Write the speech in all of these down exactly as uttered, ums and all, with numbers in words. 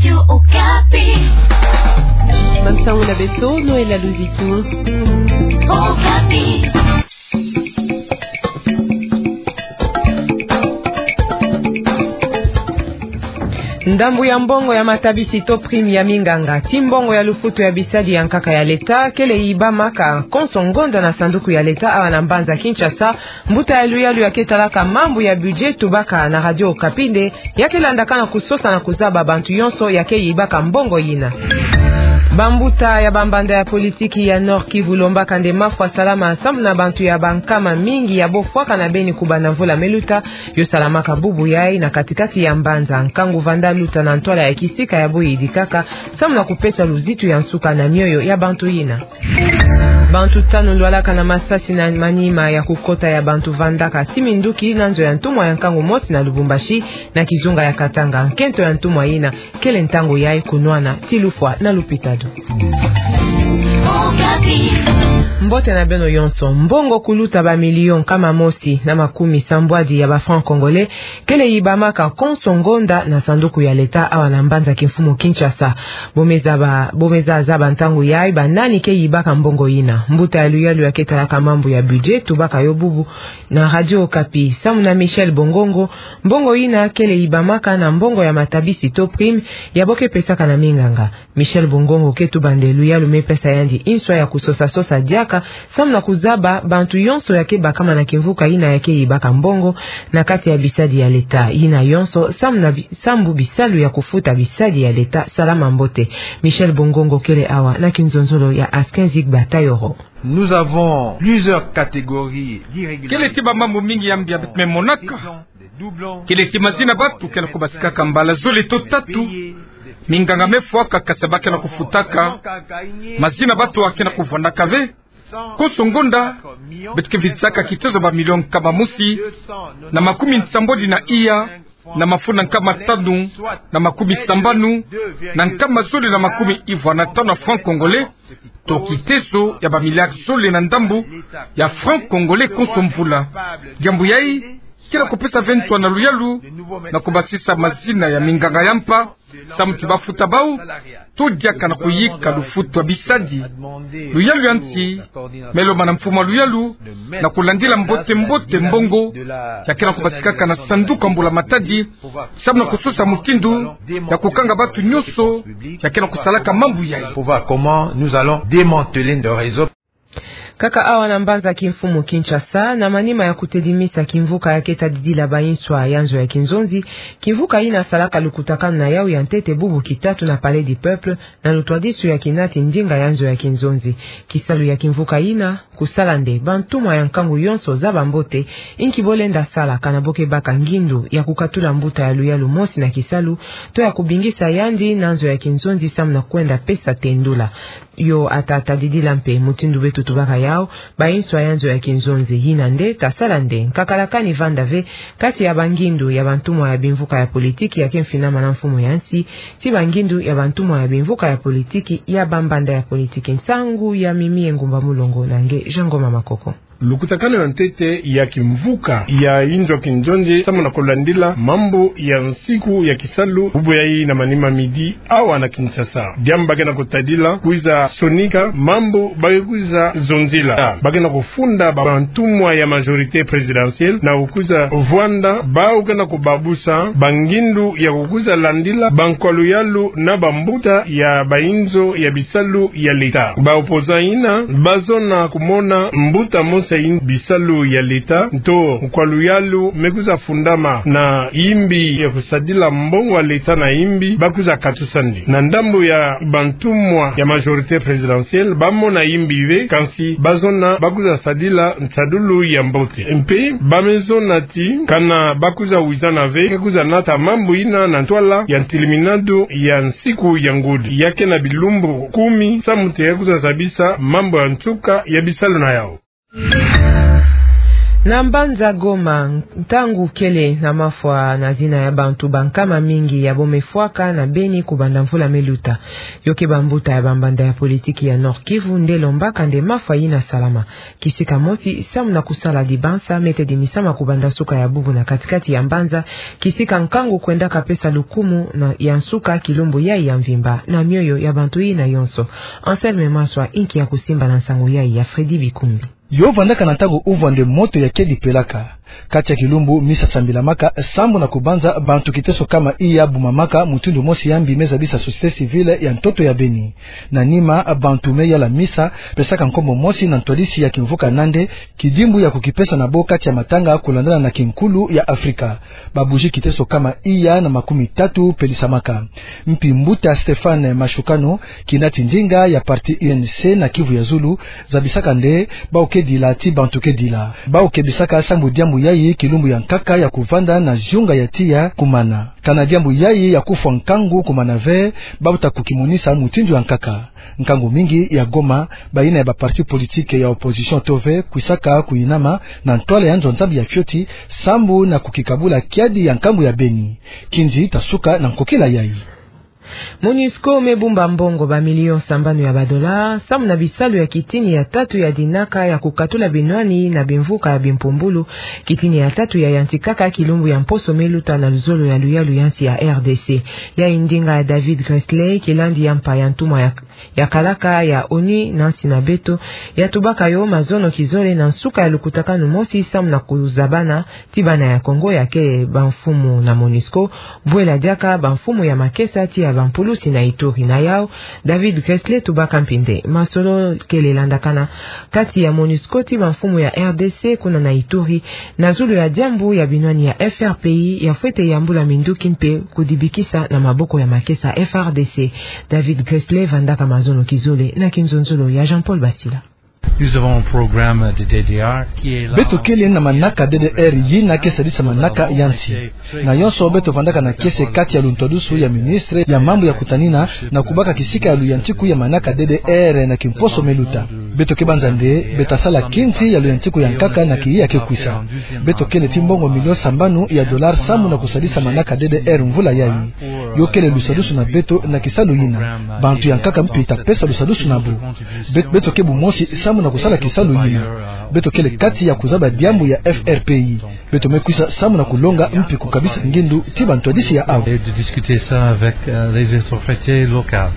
Radio Okapi. Bansango na beto, Noëlla Luzitu. Okapi. Ndambu ya mbongo ya matabisi to prime ya minganga, ti mbongo ya lufutu ya bisadi ya nkaka ya leta, kele yibamaka konso ngonda na sanduku ya leta awa na mbanza Kinshasa. Mbuta ya luyalu ya ke talaka mambu ya budget tubaka na Radio Okapi nde ya ke landaka na kusosa na kuzaba bantu yonso ya ke yibaka mbongo yina. Bambuta ya bambanda ya politiki ya Nord-Kivu lombaka nde mafwa salama samu na bantu ya bankama mingi ya bofwaka na beni kubanda mvula me luta, yo salamaka bubu yai na katikati ya mbanza. Nkangu vanda luta na ntwala ya kisika ya boyidikaka samu na kupesa luzitu ya nsuka na mioyo ya bantu yina. Bantu tanu lwalaka na masasi na manima ya kukota ya bantu vandaka ti minduki na nzo ya ntumwa ya nkangu mosi na Lubumbashi, na kizunga ya Katanga. Nkento ya ntumwa yina kele ntangu yai kunwana ti lufwa na lupitalu. Mbote na beno yonso. Mbongo kuluta ba million nkama mosi na makumi sambwadi ya ba francs congolais kele yibamaka konso ngonda na sanduku ya leta awa na mbanza kimfumu Kinshasa. Bo me zaba, bo me za zaba ntangu yai banani ke yibaka mbongo yina. Mbuta ya luyalu ya ke talaka mambu ya budget tubaka yo bubu na Radio Okapi samu na Michel Bongongo, mbongo yina kele yibamaka na mbongo ya matabisi to prime ya bo ke pesaka na minganga. Michel Bongongo ke tuba nde luyalu me pesa yandi inswa ya kusosa-sosa diaka samu na kuzaba bantu yonso ya ke bakama na kimvuka yina ya ke yibaka mbongo na kati ya bisadi ya leta yina yonso samu na bi-, sambu bisalu ya kufuta bisadi ya leta. Salama mbote. Michel Bongongo kele awa na kinzonzolo ya Askin Zig Batayoro. Nous avons plusieurs catégories d'irrégularités. Kele ti bamambu mingi ya mbi ya beto me monaka. Kele ti mazina batu ke na kubasikaka mbala zole to tatu. Minganga me fwaka kasi ba ke na kufutaka. Mazina batu a ke na kuvwandaka ve. Konso ngonda, beto ke vidisaka kitezo ba million nkama mosi na makumi nsambwadi na iya, na mafunda nkama tanu na makumi sambanu na nkama zole na makumi ivwa na tanu ya francs congolais, to kitezo ya ba milliards zole na ndambu ya francs congolais konso mvula. Diambu yai ke na kupesa ve nswa na luyalu na kubasisa mazina ya minganga ya mpa, samu ti bafuta bau, to diaka na kuyika lufutu ya bisadi. Luyalu ya nsi me lomba na mfumu a luyalu na kulandila mbote-mbote mbongo ya ke na kubasikaka na sanduku ya mbula matadi, samu na kusosa mutindu ya kukanga batu nyonso ya ke na kusalaka mambu yai. Pour voir comment nous allons démanteler le réseau. Kaka awa na mbanza kimfumu Kinshasa, na manima ya kutedimisa kimvuka ya ke tadidila ba inswa ya nzo ya kinzonzi, kimvuka yina salaka lukutakanu na yau ya ntete bubu kitatu na Palais du Peuple, na lutwadisu ya kinati ndinga ya nzo ya kinzonzi. Kisalu ya kimvuka yina, kusala nde bantumwa ya nkangu yonso zaba mbote inki bo lenda sala kana bo ke baka ngindu ya kukatula mbuta ya luyalu mosi na kisalu, to ya kubingisa yandi na nzo ya kinzonzi samu na kwenda pesa tendula. Yo ata tadidila mpe mutindu beto tubaka yau ba inswa ya nzo ya kinzonzi. Yina nde tasala nde nkakala kani vanda ve kati ya bangindu ya bantumwa ya bimvuka ya politiki ya ke mfinama na mfumu ya nsi, ti bangindu ya bantumwa ya bimvuka ya politiki ya bambanda ya politiki. Nsangu ya Mimi Engumba Mulongo na nge Jean Ngoma Makoko. Lukutakanu ya ntete ya kimvuka ya inzo ya kinzonzi samu na kulandila mambu ya nsiku ya kisalu bubu yai na manima midi awa na Kinshasa. Diambu ba ke na kutadila kwiza sonika mambu ba ke kwiza zonzila. Ba ke na kufunda ba, bantumwa ya majorité présidentielle na kukwiza vwanda bau ke na kubabusa bangindu ya kukwiza landila bankwa luyalu na bambuta ya ba inzo ya bisalu ya leta. Ba opposants yina ba zona kumona mbuta mosi ya in-, bisalu ya leta, nto nkwa luyalu me kwiza fundama na yimbi ya kusadila mbongo ya leta na yimbi, ba kwiza katusa ndi. Na ndambu ya bantumwa ya majorité présidentielle, ba mona yimbi ve, kansi ba zona ba kwiza sadila nsadulu ya mbote. Mpe ba me zona ti kana ba kwiza wizana ve, ke kwiza nata mambu yina na ntwala ya ntiliminadu ya nsiku ya ngudi. Ya ke na bilumbu kumi, samu ti ya kwiza zabisa mambu ya nsuka ya bisalu na yau. Na mbanza Goma, ntangu kele na mafwa na zina ya bantu bankama mingi ya bomefwaka na beni kubanda mvula meluta. Yo ke bambuta ya bambanda ya politiki ya Nord-Kivu nde lombaka nde mafwa yina salama. Kisika mosi, samu na kusala dibansa, mete dimisama kubanda suka ya bubu na katikati ya mbanza, kisika nkangu kwenda kapesa lukumu na ya nsuka kilumbu yayi ya mvimba na mioyo ya bantu yina yonso. Anselme Maswa inki ya kusimba na nsangu yayi ya Freddy Bikumbi. Yo vandaka na ntangu uvwa nde moto ya kedi pelaka. Kati ya kilumbu misa sambilamaka, sambu na kubanza bantu kiteso kama iya bumamaka mutindu mosi ya mbi me zabisa société civile ya ntoto ya beni. Na nima, bantu me yala misa, pesaka nkombo mosi na ntwadisi ya kimvuka nande, kidimbu ya kukipesa na bo kati ya matanga kulandana na kinkulu ya Afrika. Ba bougie kiteso kama iya na makumi tatu pelisamaka. Mpi mbuta Stéphane Mashukano, kinati ndinga ya parti U N C na Kivu ya Zulu, zabisaka nde, bau ke dila ti bantu ke dila. Bau kebisaka sambu diambu yayi kilumbu ya nkaka ya kuvanda na ziunga ya tiya kumana. Kana diambu yayi ya kufwa nkangu kumana ve, bau ta kukimonisa mutindu ya nkaka. Nkangu mingi ya Goma, bayina ya ba parti politique ya opposition to ve, kwisaka kuyinama na ntwala ya nzo Nzambi ya fioti, sambu na kukikabula kiadi ya nkangu ya beni. Kinzi ta suka na nkokila yayi. MONUSCO me bumba mbongo ba million sambanu ya ba dollars, samu na bisalu ya kitini ya tatu ya dinaka ya kukatula binwani na bimvuka ya bimpumbulu, kitini ya tatu ya yantikaka kilumbu ya mposo meluta na luzolo ya luyalu ya nsi ya R D C. Yayi ndinga ya David Gressler, kilandi ya mpa ya ntumwa ya, ya kalaka ya ONU na nsi na beto, ya tubaka yo mazono kizole na nsuka ya lukutakanu mosi samu na kuzabana ti bana ya Congo ya ke bamfumu na MONUSCO, bwela diaka bamfumu ya makesa ti ya bampulusi na Ituri. Na yau, David Gressler tubaka mpi nde masolo kele landakana kati ya MONUSCO ti bamfumu ya R D C kuna na Ituri, na zulu ya diambu ya binwani ya F R P I ya fwete yambula minduki mpe kudibikisa na maboko ya makesa F R D C. David Gressler vandaka mazono kizole na kinzonzolo ya Jean-Paul Basila. Nous avons un programme de D D R qui est là. Beto kele na manaka D D R yina ke sadisa manaka ya nsi. Na yonso beto vandaka na kiese kati ya luntwadusu ya ministre ya mambu ya kutanina na kubaka kisika ya luyantiku ya manaka D D R na kimposo meluta. Beto ke banza nde, beto ta sala kinzi ya luyantiku ya nkaka na kiyi ya ke kwisa. Beto kele ti mbongo million sambanu ya dollars samu na kusadisa manaka D D R mvula yayi. Yo kele lusadusu na beto na kisalu yina. Bantu ya nkaka mpi ta pesa lusadusu na bo. Bet-, beto ke bumosi samu na kusala kisalu yina. Beto kele kati ya kuzaba diambu ya F R P I. Beto me kwisa samu na kulonga mpi kukabisa ngindu ti bantwadisi ya awu. Et de discuter ça avec, euh, les autorités locales.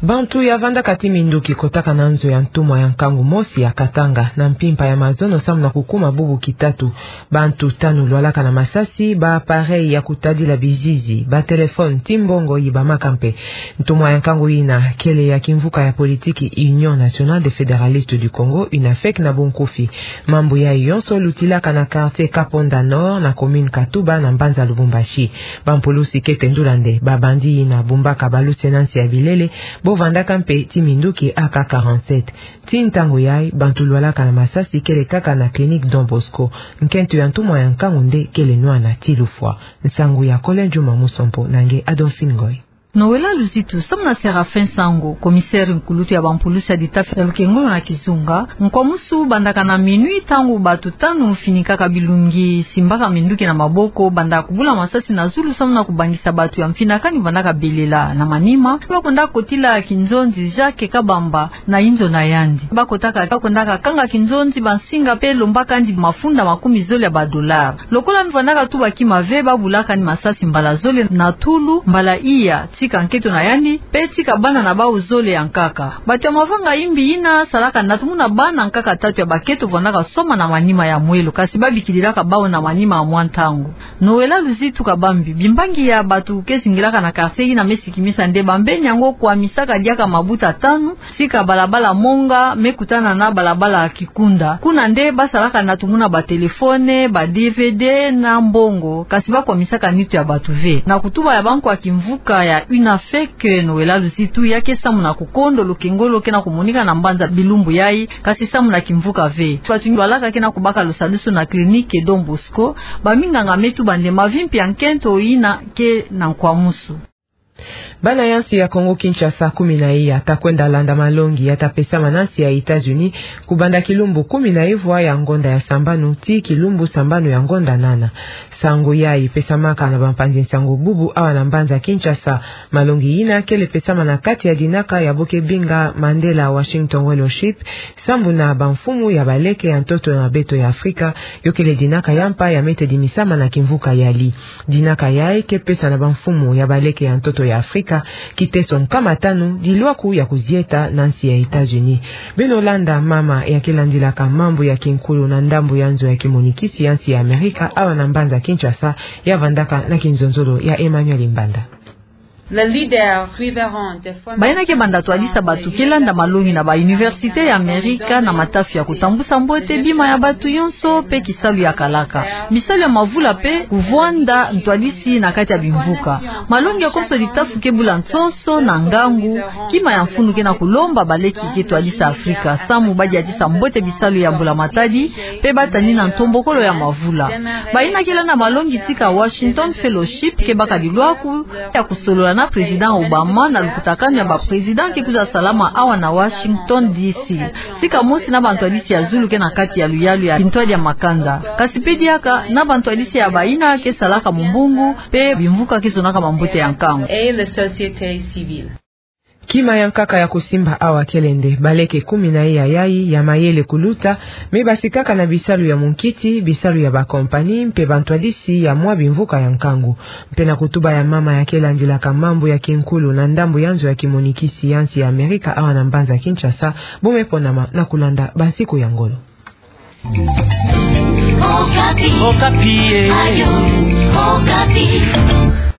Bantu ya vandaka ti minduki kotaka na nzo ya ntumwa ya nkangu mosi ya Katanga na mpimpa ya mazono samu na kukuma bubu kitatu. Bantu tanu lwalaka na masasi, ba appareil ya kutadila bizizi, ba téléphone, ti mbongo yibamaka mpe. Ntumwa ya nkangu yina kele ya kimvuka ya politiki Union Nationale des Fédéralistes du Congo, UNAFEC na bunkufi. Mambu yayi yonso lutilaka na quartier Kaponda Nord na commune Katuba na mbanza Lubumbashi. Bampulusi ke tendula nde ba bandit yina bumbaka baluse na nsi ya bilele, bo vandaka mpe ti minduki A K quarante-sept. Ti ntangu yayi, bantu lwalaka na masasi kele kaka na clinique Don Bosco. Nkento ya ntumwa ya nkangu nde kele nwana ti lufwa. Nsangu ya Colin Juma Musompo na nge Adolphine Ngoy. Noëlla Luzitu, samu na Séraphin Sango, commissaire nkulutu ya bampulusi ya ditafa ya lukengolo na kizunga, nkwamusu bandaka na minuit ntangu bantu tanu finikaka bilungi, simbaka minduki na maboko, banda kubula masasi na zulu samu na kubangisa bantu ya mfinakani vandaka belela. Na manima, bakwenda kotila kinzonzi Jacques Kabamba na inzo na yandi. Bakotaka, bakwendaka kanga kinzonzi bansinga mpe lombaka yandi mafunda makumi zole ya ba dollars. Lokola vandaka tuba kima ve, babulaka yandi masasi mbala zole na tulu, mbala iya, tika nkento na yandi, mpe tika bana na bawu zole ya nkaka. Bantu ya mavanga imbi yina salaka na tumuna bana nkaka tatu ya bakento vandaka soma na manima ya mwelo, kasi babikililaka bawu na manima ya mwa ntangu. Noëlla Luzitu Kabambi, bimbangi ya bantu ke zingilaka na quartier yina me sikimisa nde bambeni yango kwamisaka diaka mabuta tanu, tika balabala Monga me kutana na balabala Kikunda. Kuna nde basalaka na tumuna ba téléphone, ba D V D na mbongo, kasi bakwamisaka nitu ya bantu ve. Na kutuba ya bankwa kimvuka ya UNAFEC, Noëlla Luzitu ya ke samu na kukondo lukengolo ke na kumonika na mbanza bilumbu yayi, kasi samu na kimvuka ve. Bantu lwalaka ke na kubaka lusadusu na clinique Don Bosco, baminganga me tuba nde mavimpi ya nkento yina ke na nkwamusu. Bana ya nsi ya Kongo Kinshasa kumi na iya ta kwenda landa malongi ya ta pesama na nsi ya États-Unis, kubanda kilumbu kumi na ivwa ya ngonda ya sambanu tii kilumbu sambanu ya ngonda nana. Sango yayi pesamaka na bampanzi nsango bubu awa na mbanza Kinshasa. Malongi yina kele pesama na kati ya dinaka ya bo ke binga Mandela Washington Fellowship, sambu na bamfumu ya baleke ya ntoto na beto ya Afrika, yo kele dinaka ya mpa ya mete dimisama na kimvuka yali. Dinaka yayi ke pesa na bamfumu ya baleke ya ntoto ya Afrika kiteso nkama tanu dilwaku ya kuzieta na nsi ya États-Unis. Beno landa mama ya ke landilaka mambu ya kinkulu na ndambu ya nzo ya kimonikisi ya nsi ya Amerika awa na mbanza Kinshasa, ya vandaka na kinzonzolo ya Emmanuel Mbanda. Bayina ke banda twadisa bato ke landa malongi na ba université ya Amerika na matafi ya kutambusa mbote bima ya bato yonso pe kisalu ya kalaka. Bisalu ya mavula pe kuvwanda ntwadisi na kati ya bimvuka. Malongi ya konso ditafu ke bula nsonso na ngangu, kima ya mfunu ke na kulomba baleke ke twadisa Afrika samu ba diatisa mbote bisalu ya mbula matadi, pe ba tani na ntombokolo ya mavula. Bayina ke landa malongi tika Washington Fellowship ke baka dilwaku ya kusolola na Président Obama na lukutakanu ya ba président ke kwiza salama awa na Washington D C. Tika mosi na bantwadisi ya zulu ke na kati ya luyalu ya kintwadi ya makanda. Kasi pe diaka na bantwadisi ya bayina ke salaka mumbungu, pe bimvuka ke zonaka mambote ya nkangu. Kima ya nkaka ya kusimba awa kele nde baleke kumi na iya yayi ya mayele kuluta, me basikaka na bisalu ya munkiti, bisalu ya bakompani, mpe bantwadisi ya mwa bimvuka ya nkangu. Mpe na kutuba ya mama ya ke landilaka mambu ya kinkulu na ndambu ya nzo ya kimonikisi ya nsi ya Amerika awa na mbanza Kinshasa, bo me ponama na kulanda bansiku ya ngolo. Okapi. Okapi, eh. Ayo, Okapi.